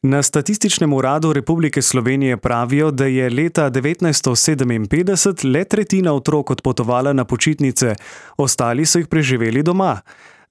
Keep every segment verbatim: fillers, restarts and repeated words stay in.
Na Statističnem uradu Republike Slovenije pravijo, da je leta devetnajststo sedeminpetdeset le tretjina otrok odpotovala na počitnice, ostali so jih preživeli doma.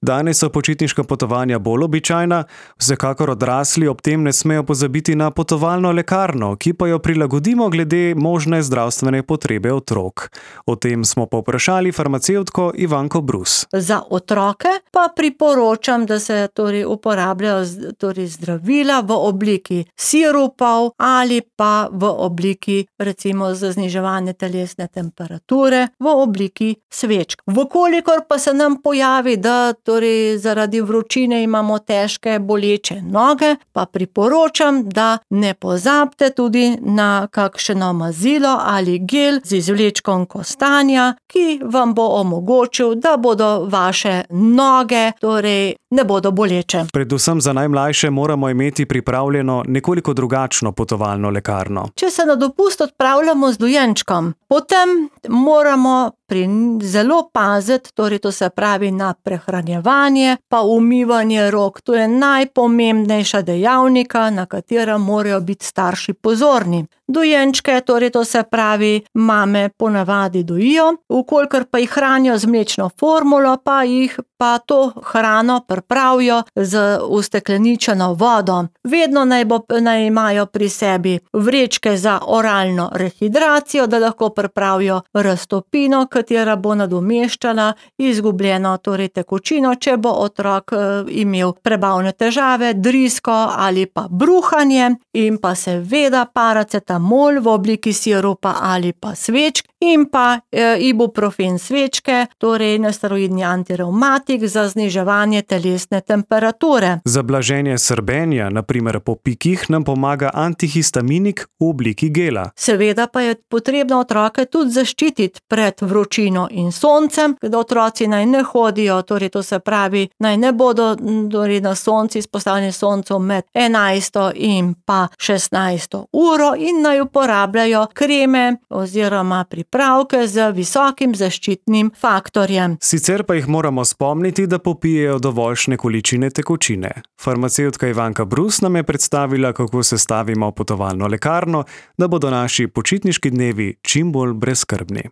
Danes so počitniška potovanja bolj običajna, vsekakor odrasli ob tem ne smejo pozabiti na potovalno lekarno, ki pa jo prilagodimo glede možne zdravstvene potrebe otrok. O tem smo povprašali farmacevtko Ivanko Brus. Za otroke pa priporočam, da se torej uporabljajo torej zdravila v obliki sirupov ali pa v obliki recimo za zniževanje telesne temperature v obliki svečk. Vkolikor pa se nam pojavi, da torej zaradi vročine imamo težke boleče noge, pa priporočam, da ne pozabite tudi na kakšno mazilo ali gel z izvlečkom kostanja, ki vam bo omogočil, da bodo vaše noge torej ne bodo boleče. Predvsem za najmlajše moramo imeti pripravljeno nekoliko drugačno potovalno lekarno. Če se na dopust odpravljamo z dojenčkom, potem moramo pri zelo paziti, torej to se pravi na prehranjevanje, pa umivanje rok. To je najpomembnejša dejavnika, na katera morajo biti starši pozorni. Dojenčke, torej to se pravi, mame ponavadi dojijo, vkolikor pa jih hranijo z mlečno formulo, pa jih pa to hrano pripravijo z ustekleničeno vodo. Vedno naj, bo, naj imajo pri sebi vrečke za oralno rehidracijo, da lahko pripravijo raztopino, katera bo nadomeščala izgubljeno torej tekočino, če bo otrok imel prebavne težave, drisko ali pa bruhanje, in pa seveda paracetamol v obliki sirupa ali pa svečk in pa e, ibuprofen svečke, torej nesteroidni antirevmatik za zniževanje telesne temperature. Za blaženje srbenja, na primer po pikih, nam pomaga antihistaminik v obliki gela. Seveda pa je potrebno otroke tudi zaščititi pred vročino in soncem, da otroci naj ne hodijo, torej to se pravi, naj ne bodo torej na sonci izpostavljeni soncu med enajsto in pa šestnajsto uro in naj uporabljajo kreme oziroma pripravke z visokim zaščitnim faktorjem. Sicer pa jih moramo spomniti, da popijejo dovoljšne količine tekočine. Farmacevtka Ivanka Brus nam je predstavila, kako sestavimo potovalno lekarno, da bodo naši počitniški dnevi čim bolj brezskrbni.